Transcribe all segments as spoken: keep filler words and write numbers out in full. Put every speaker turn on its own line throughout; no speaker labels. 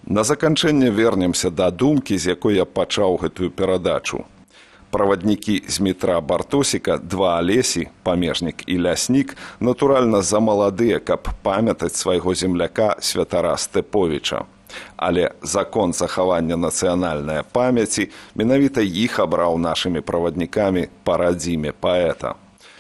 На заканчэнне вернемся да думкі, з якой я пачаў гэтую перадачу. Праваднікі з метра Бартосіка, два Алесі, памежнік і ляснік, натуральна замаладыя, каб памятаць свайго земляка Святара Степовіча. Але закон захавання нацыянальнай памяці менавіта іх абраў нашымі праваднікамі па радзіме паэта.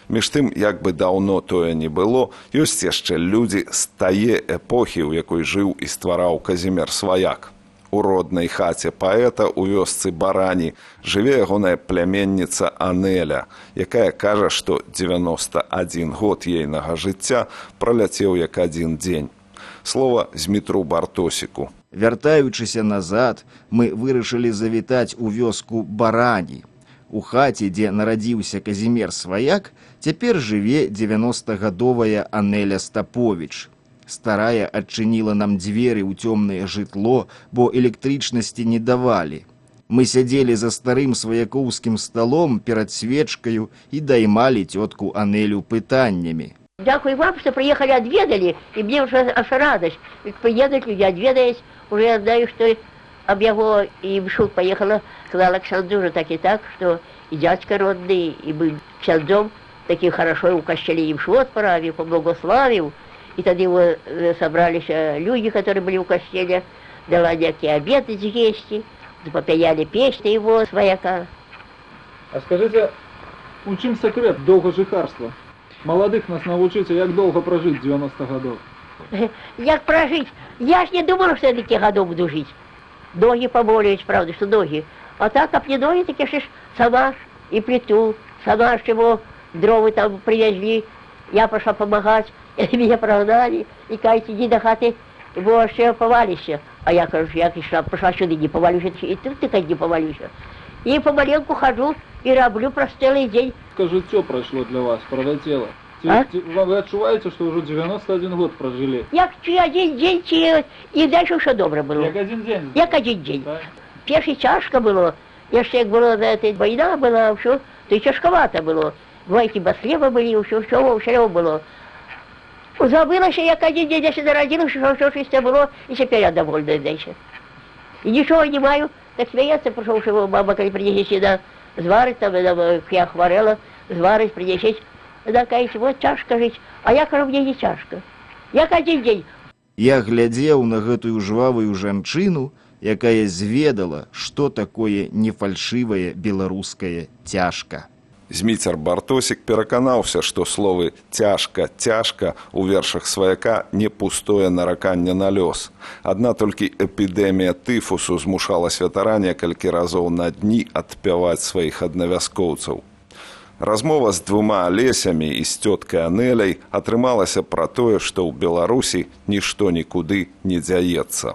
Між тым, як бы даўно тое не было, ёсць яшчэ людзі з тае эпохі, у якой жыў і ствараў Казімір Сваяк. У роднай хаце паэта ў вёсцы Барані жыве ягоная пляменніца Анеля, якая кажа, што дзевяноста адзін год ейнага жыцця праляцеў як адзін дзень. Слова з метру Бартосіку.
Вяртаючыся назад, мы вырашылі завітаць у вёску Барані. У хаце, дзе нарадзіўся Казімір Сваяк, цяпер жыве дзевяностагадовая Анеля Стаповіч. Старая адчыніла нам дзверы ў цёмнае жытло, бо электрычнасці не давалі. Мы сядзелі за старым сваякоўскім сталом перад свечкаю і даймалі цётку Анелю пытаннямі.
Дякую вам, что приехали, отведали, и мне уже аж радость. Приедут люди, отведаясь, уже я знаю, что об его и в шут поехала, сказала к Шанду уже так и так, что и дядька родный, и был Шандом, такие хорошо у кощелей им швот правил, поблагословил. И тогда его собрались люди, которые были у костеля, дала некие обеды съесть, попаяли песни его, Свояка.
А скажите, у чым секрет долгожихарства? Молодых нас навучыце, як долго прожить девяносто годов.
Як прожить? Я ж не думала, что я таких годов буду жить. Ноги поболеют, правда, что ноги. А так, а не ноги, так я ж сама и плиту, сама ж его дровы там привезли. Я пошла помогать, и меня прогнали, и кажется, иди до хаты, бо ще повалишься. А я кажу, я пришла, пошла сюда, не повалюсь, и тут ты не повалюсь. И помаленьку хожу, и роблю простелый день.
Как життя прошло для вас, пролетело?
А?
Вы отчуваете, что уже девяносто один год прожили?
Як один день, и дальше все добре было.
Як один день?
Як один день.
Так?
Перший тяжко было. Jeszcze jak było, эта война была, все, то и тяжковато было. Двойки баслеба были, все, все, все было. Забыла, что як один день, если народилась, что все чисто было, и теперь я довольна дальше. И ничего не маю, так смеяться, пошел, что мама, когда принесет сюда, зварить, там, я хворела, зварить, принесет. Она кажется, вот тяжко жить, а я кажу, мне не тяжко. Як один день.
Я глядзеў на гэтую жвавую жанчыну, якая зведала, што такое нефальшывае беларускае цяжка.
Зміцер Бартосік пераканаўся, што словы «цяжка», «цяжка» у вершах Сваяка не пустое нараканне на лёс. Адна толькі эпідэмія тыфусу змушала святара некалькі разоў на дні адпяваць сваіх аднавяскоўцаў. Размова з двума Алесямі і з цёткай Анеляй атрымалася пра тое, што ў Беларусі нішто нікуды не дзяецца.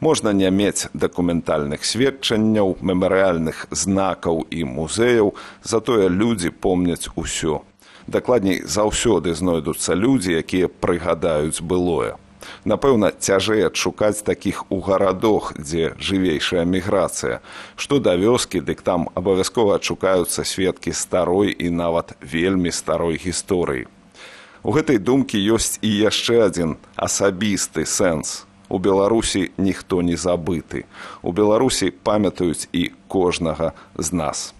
Можна не мець дакументальных сведчанняў, мемарыяльных знакаў і музеяў, затое людзі помняць усё. Дакладней, заўсёды знойдуцца людзі, якія прыгадаюць былое. Напэўна, цяжэй адшукаць такіх у гарадах, дзе жывейшая міграцыя. Што да вёскі, дык там абавязкова адшукаюцца сведкі старой і нават вельмі старой гісторыі. У гэтай думкі ёсць і яшчэ адзін асабісты сэнс. У Беларусі ніхто не забыты. У Беларусі памятаюць і кожнага з нас.